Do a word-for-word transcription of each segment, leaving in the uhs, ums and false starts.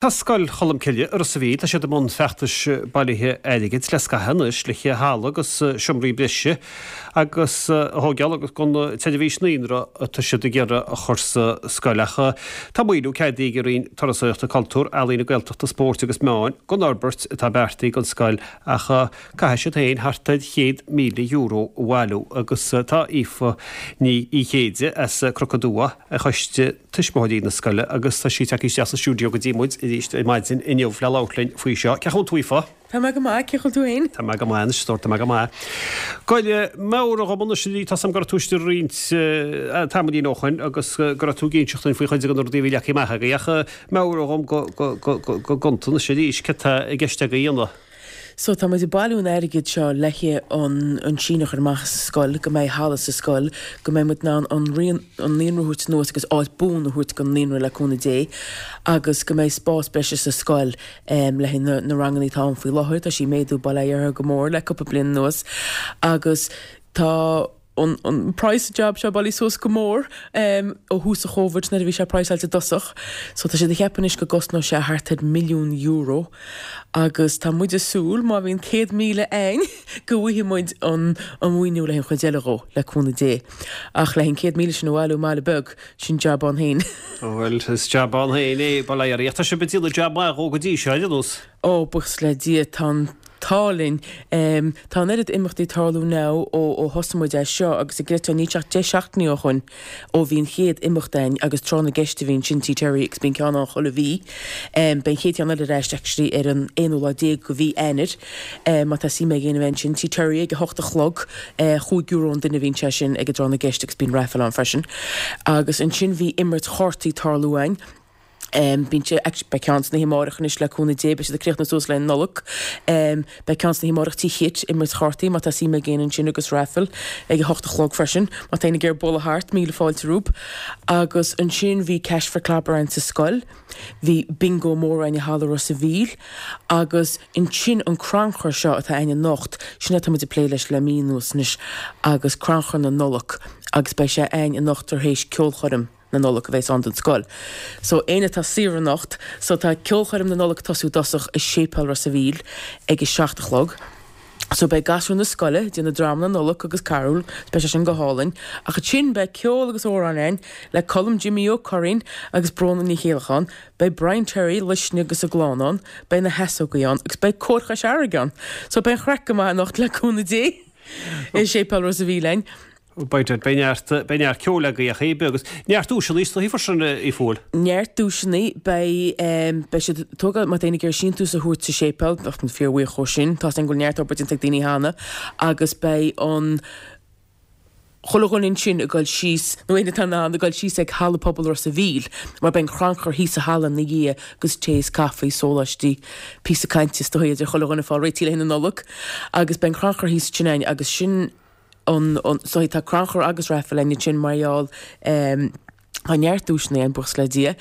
Tá Scoil Cholmcille i Ros a' Mhíl, tá siad i mbun feachtais bailithe airgid le scaitheamh anois le haghaidh halla agus seomraí breise agus a thógáil agus don tseirbhís naíonra atá siad ag iarraidh a chur sa scoil. Ach tá maoiniú ceadaithe ag an Roinn Turasóireachta, Cultúir, Ealaíon, Gaeltachta, Spóirt agus Meáin don fhorbairt atá beartaithe don scoil ach caithfidh siad féin thart ar chéad míle euro a bhailiú agus tá Aoife Ní Chéide as Cnoc an Dua ar choiste tuismitheoirí na scoile agus tá sí tagtha isteach sa stiúideo go dtí muid arís ar maidin inniu le labhairt linn faoi seo. Cén chaoi a bhfuil tú, Aoife? Tá mé go maith, cén chaoi a bhfuil tú féin? Tá mé go maith anois, tá mé go maith. Goile, meabhraigh dhom anois arís, tá 's a'm go raibh tú istigh roinnt tamaillín ó shoin agus go raibh tú ag inseacht dúinn faoi chuid de na rudaí a bhí leagtha amach agaibh ach meabhraigh dhom go gonta anois arís céard tá i gceist agaibh a dhéanamh. So tá muid ag bailiú an airgid seo le haghaidh an an síneadh a chur amach sa scoil, go mbeidh halla sa scoil, go mbeidh muid in ann an an naíonra a thabhairt anuas agus áit buan a thabhairt don naíonra le cúnamh Dé agus go mbeidh spás breise sa scoil le haghaidh na na ranganna atá ann faoi láthair. Tá sí ag méadú Baile Átha Fhirdhia go mór le cúpla bliain anuas agus tá an an price job seo bailithe suas go mór ó thús an Chóvid nuair a bhí sé praghsáilte i dtosach. So tá siad ag ceapadh anois go gcosnóidh sé thart ar milliún euro agus tá muid ag súil má bhíonn céad míle a'ainn go bhfaighidh muid an an mhaoiniú le haghaidh an chuid eile dhó, le cúnamh Dé. Ach le haghaidh an céad míle sin a bhailiú i mbaile beag, sin jab ann féin. Bhuel, is jab ann féin é, bail ó Dhia oraibh. Ach tá sibh ag déanamh jab maith dhó go dtí seo, ar aon nós. Ó, buíochas le Dia, tá an t-ádh linn. Tá an oiread imeachtaí ag tarlú now ó ó thosaigh muid é seo agus an gcreidfeá níl sé ach deich seachtainí ó shoin ó bhí an chéad imeacht a'ainn agus tráth na gceist a bhí ansin Tigh Terry agus bíonn ceann ann chuile mhí. Beidh an chéad cheann eile ar ais actually ar an aonú lá déag de mhí Eanáir. Má tá suim ag éinne a bheith ansin, Tigh Terry ag a hocht a chlog, chúig euro an duine a bhíonn sé sin ag an dtráth na gceist agus bíonn raffle ann freisin. Agus ansin bhí imirt chártaí ag tarlú a'ainn. Bíonn sé, actually beidh ceann san oíche amárach anois le cúnamh Dé, beidh siad ag críochnú suas le Nollaig. Beidh ceann san oíche amárach Tigh Chit, imirt chártaí má tá suim ag éinne ansin agus raffle ag a hocht a chlog freisin má tá éinne ag iarraidh bualadh thart, míle fáilte rompu. Agus ansin bhí Cash for Clobber a'ainn sa scoil, bhí bingo mór a'ainn i Halla Ros a' Mhíl agus ansin an crannchur seo atá a'ainn anocht, sin atá muid ag plé leis le mí anuas anois agus crannchur na Nollag agus beidh sé a'ainn anocht tar éis ceolchoirm. na Nollag a bheas ann don scoil. So éinne atá saor anocht, so tá ceolchoirm na Nollag ag tosú i dtosach i Séipéal Ros a' Mhíl ag a seacht a chlog. So beidh gasúir na scoile ag déanamh dráma na Nollag agus carúil, so beidh sé sin go hálainn. Ach ansin beidh ceol agus amhráin a'ainn le Colm Jimí Ó Curraoin agus Bróna Ní Chéileacháin, beidh Brian Terry, Luisne agus a gclann ann, beidh na hEasógaí ann agus beidh Cór Chois Fharraige ann. So beidh an chraic go maith anocht le cúnamh Dé i Séipéal Ros a' Mhíl a'ainn. Beidh beidh neart beidh neart ceoil agaibh ach é agus neart duaiseanna is dóichí freisin a Aoife. Neart duaiseanna, beidh beidh siad ag tógáil má tá éinne ag iarraidh síntiús a thabhairt sa séipéal, bheadh muid fíor-bhuíoch dhó sin, tá 's againn go bhfuil neart obair déanta ag daoine cheana agus beidh an chuile dhuine ansin ag dul síos, nó éinne atá in ann, ag dul síos ag Halla Pobail Ros a' Mhíl mar beidh an crannchur thíos sa halla ina dhiaidh agus tae is caife, sóláistí, píosa cainte is dóichí idir chuile dhuine fá réitigh le haghaidh na Nollag agus beidh an crannchur thíos ansin a'ainn agus sin an so tá crannchur agus raffle a'ainn ansin mar gheall em tá neart duaiseanna a'ainn buíochas le Dia.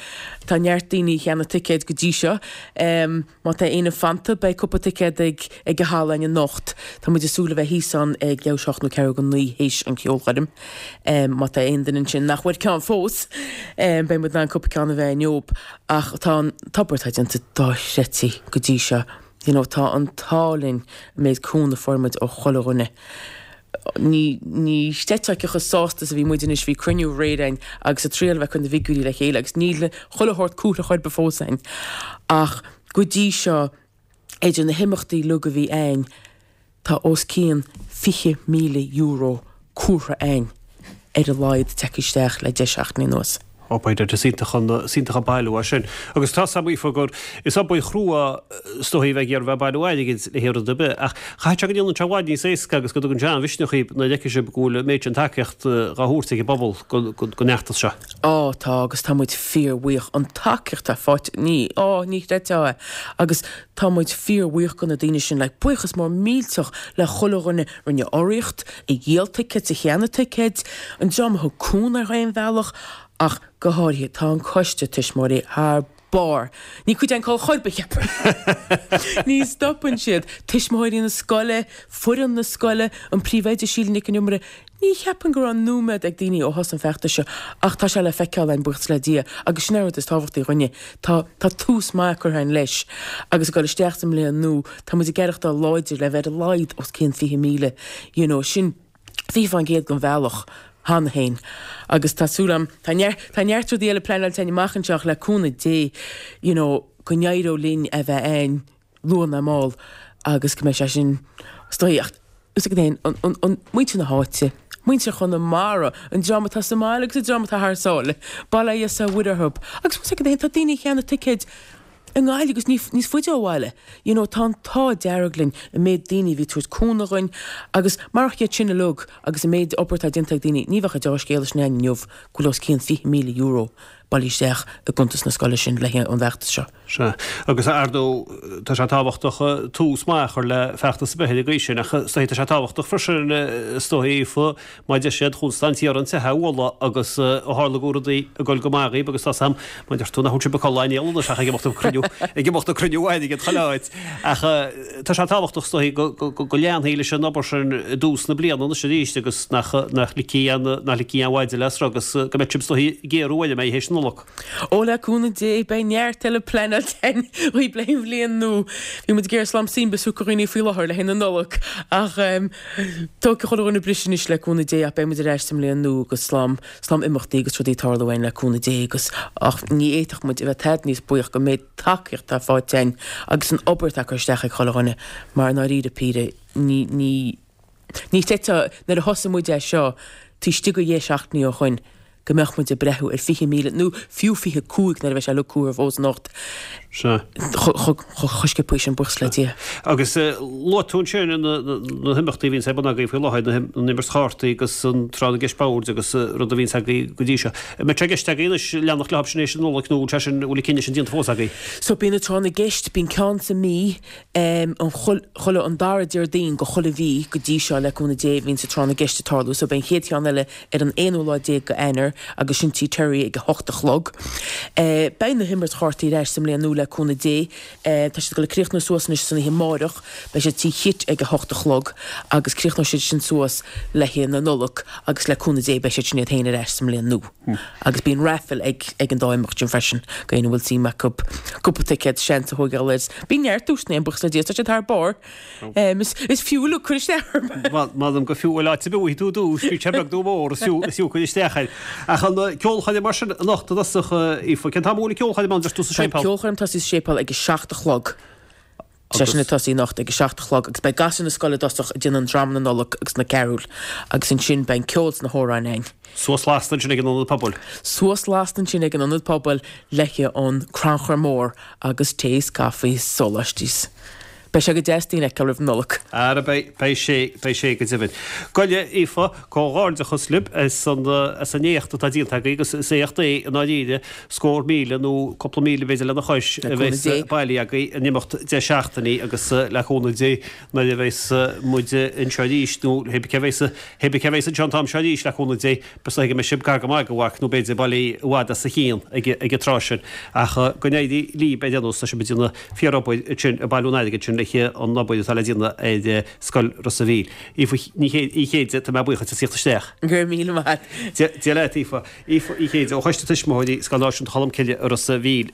Tá neart daoine a cheannaigh ticéid go dtí seo. Em má tá éinne fanta beidh cúpla ticéad ag ag an halla a'ainn anocht. Tá muid ag súil a bheith thíos ann ag leathuair théis a hocht nó ceathrú go naoi théis an cheolchoirm. Em má tá aon duine ansin nach bhfuair ceann fós em beidh muid in ann cúpla ceann a bheith inniu. Ach tá an obair atá déanta dochreidte go dtí seo. You know tá an t-ádh linn an méid cúnamh a fuair muid ó chuile dhuine. Ní ní chreidfeá cé chomh sásta is a bhí muid anois, bhí cruinniú aréir a'ainn agus ag triail a bheith ag cur na bhfigiúirí le chéile agus níl chuile shórt curtha chor ar bith fós a'ainn. Ach go dtí seo, idir na himeachtaí uilig a bhí a'ainn, tá os cionn fiche míle euro curtha a'ainn ar a laghad tagtha isteach le deich seachtainí anuas. Ó by dad, is iontach an, is iontach an bailiú é sin. Agus tá 's a'm Aoife gur, is obair chrua is dóichí a bheith ag iarraidh bheith ag bailiú airgid le haon rud ar bith, ach caithfidh sé go ndéanann sé i bhfad níos éasca agus go dtugann sé an-mhisneach dhaoib nuair a fheiceann sibh go bhfuil an méid sin tacaíocht dhá thabhairt ag an bpobal don fheachtas seo. Á, tá, agus tá muid fíorbhuíoch. An tacaíocht atá faighte, ní, á, ní chreidfeá é. Agus tá muid fíorbhuíoch do na daoine sin, like, buíochas mór millteach le chuile dhuine a rinne urraíocht, a dhíol ticéid, a cheannaigh ticéid, an dream a thug cúnamh ar aon bhealach, Ach go háirithe, tá an coiste tuismitheoirí thar barr. Ní cuid an col chorp a cheapaim. Ní stopann siad. Tuismitheoirí na scoile, foireann na scoile, an príomhoide Síle Nic an Iomaire, ní cheapaim go raibh nóiméad ag daoine ó thús an feachtais seo ach tá sé le feiceáil againn buíochas le Dia agus sin an rud is tábhachtaí dhúinne. Tá tá tús maith curtha againn leis agus ag dul isteach sa mbliain nua tá muid ag aireachtáil láidir le bheith ar a laghad os cionn fiche míle you know sin fiche faoin gcéad den bhealach cheana féin agus tá súil agam tá neart tá neart rudaí eile pleanáilte againn amach anseo le cúnamh Dé you know go n-éireoidh linn a bheith ann luath nó mall agus go mbeidh sé sin is dóigh ach is ag an an an muintir na háite, muintir Chonamara, an dream atá sa mbaile agus an dream atá thar sáile, bail ó Dhia is ar Mhuire orthu. Agus is ag an tá daoine cheannaigh ticéid i nGaillimh agus níos faide ó bhaile. You know, tá an t-ádh dearg linn an méid daoine a bhí ag tabhairt cúnamh dhúinn agus marach iad sin uilig agus an méid obair atá déanta ag daoine, ní bheadh an deá-scéala sin againn inniu go bhfuil os cionn fiche míle euro bailithe isteach i gcuntas na scoile sin le an bhfeachtas seo. Sea. Agus ar ndóigh tá sé tábhachtach tús maith a chur le feachtas ar bith ar an gcaoi sin ach is dóigh tá sé tábhachtach freisin is dóigh Aoife má deir siad Chonstaint ar an teitheadh a mholadh agus ó tharla go raibh rudaí ag dul go maith dhaoib agus tá 's a'm má deir tú nach bhfuil sibh ag codladh aon anois ach ag imeacht ag cruinniú ag imeacht ag cruinniú airgid chuile áit ach tá sé tábhachtach is dóigh go go go leanfaí leis an obair sin i dtús na bliana anois arís agus nach nach ligfí aon nach ligfí aon mhaide le sruth agus go mbeidh sibh is dóigh ag géarú uair a mbeidh théis na Nollag. Ó le cúnamh Dé beidh neart eile pleanáilte againn dhaoib le an bhliain nua. Bhí muid ag iarraidh slám suim a thiocfadh dhaoine faoi láthair le haghaidh na Nollag ach tógfaidh chuile dhuine briseadh anois le cúnamh Dé ach beidh muid ar ais sa mbliain nua agus slám slám imeachtaí agus rudaí ag tarlú againn le cúnamh Dé agus ach ní fhéadfadh muid a bheith tada níos buíoch den méid tacaíocht atá faighte againn agus an obair atá curtha isteach ag chuile dhuine mar i ndáiríre píre ní ní ní chreidfeá nuair a thosaigh muid é seo taobh istigh de dheich seachtainí ó shoin go mbeadh muid ag breathú ar fiche míle nó fiú fiche cúig nuair a bheidh sé uilig curtha fós anocht. Sea. Chomh sciobtha sin buíochas le Dia. Agus luaigh tú ansin na himeachtaí a bhíonns ar bun agaibh faoi láthair, na imirt chártaí agus an tráth na gceist boird agus rud a bhíonns agaibh go dtí seo. An mbeidh sé i gceist agaibh anois leanacht leo sin éis na Nollag nó bhfuil sé sin, bhfuil an cinneadh sin déanta fós agaibh? So bíonn an tráth na gceist, bíonn ceann sa mí, an chuile, an dara Déardaoin de chuile mhí go dtí seo le cúnamh Dé bhíonn sa tráth na gceist ag tarlú. So beidh an chéad cheann eile ar an aonú lá déag de Eanáir agus sin Tí Terry ag a hocht a chlog. Beidh na himirt chártaí ar ais sa mbliain nua le cúnamh Dé. Tá siad ag dul ag críochnú suas anois san oíche amáireach. Beidh siad Tí Chit ag a hocht a chlog agus críochnóidh siad sin suas le haghaidh na Nollag agus le cúnamh Dé beidh siad sin iad féin ar ais sa mbliain nua. Agus bíonn raffle ag ag an dá imeacht sin freisin go éinne a bhfuil suim acu cúpla ticéad seans a thógáil air. Bíonn neart duaiseanna ann buíochas le Dia, tá siad thar barr. Is is fiú uilig cur isteach orthu. M'anam gur fiú bhuel áit ar bith a bhfaighidh tú duais, bíodh sé beag nó mór, is fiú is fiú cur isteach air. Ach an ceolchoirm mar sin anocht i dtosach, Aoife, cén t-am a bhfuil an ceolchoirm ann, deir tú sa Tá séipéal? ceolchoirm ag tosaí sa séipéal ag a seacht a chlog. Sé sin ag tosaí anocht ag a seacht a chlog agus beidh gasúir na scoile i dtosach ag déanamh an dráma na Nollag agus na carúil agus ansin beidh an ceol is na hamhráin againn. Suas lasta ansin ag an Ionad Pobail. Suas lasta ansin ag an Ionad Pobail le haghaidh an crannchur mór agus tae is caife is sóláistí. Beidh sé go deas daoine a fheiceáil roimh an Nollaig. Ara beidh, beidh sé, beidh sé go deimhin. Gabh i leith, Aoife, comhghairdeachas libh as an, as an éacht atá déanta agaibh agus is éacht é i ndáiríre scór míle nó cúpla míle b'fhéidir lena chois Le a cúnamh bheas Dé. bailithe agaibh in imeacht deich seachtainí agus le cúnamh Dé nuair a bheas muid anseo arís nó hé bith cé bheas, hé bith cé bheas anseo an t-am seo arís le cúnamh Dé Is dóigh go mbeidh sibh gar go maith do mharc nó b'fhéidir bailithe i bhfad as a chionn ag an tráth sin. Ach go n-éirí libh ar aon nós, tá sibh ag déanamh fíor-obair ansin ag bailiú an airgid sin le an obair atá le déanamh ar Scoil Ros a' Mhíl. Aoife Ní Chéide, tá mé buíoch duit as theacht isteach. Go raibh míle maith agat. Dia leat, Aoife. Aoife Uí Chéide ó Choiste Tuismitheoirí Scoil Náisiúnta Cholmcille i Ros a' Mhíl.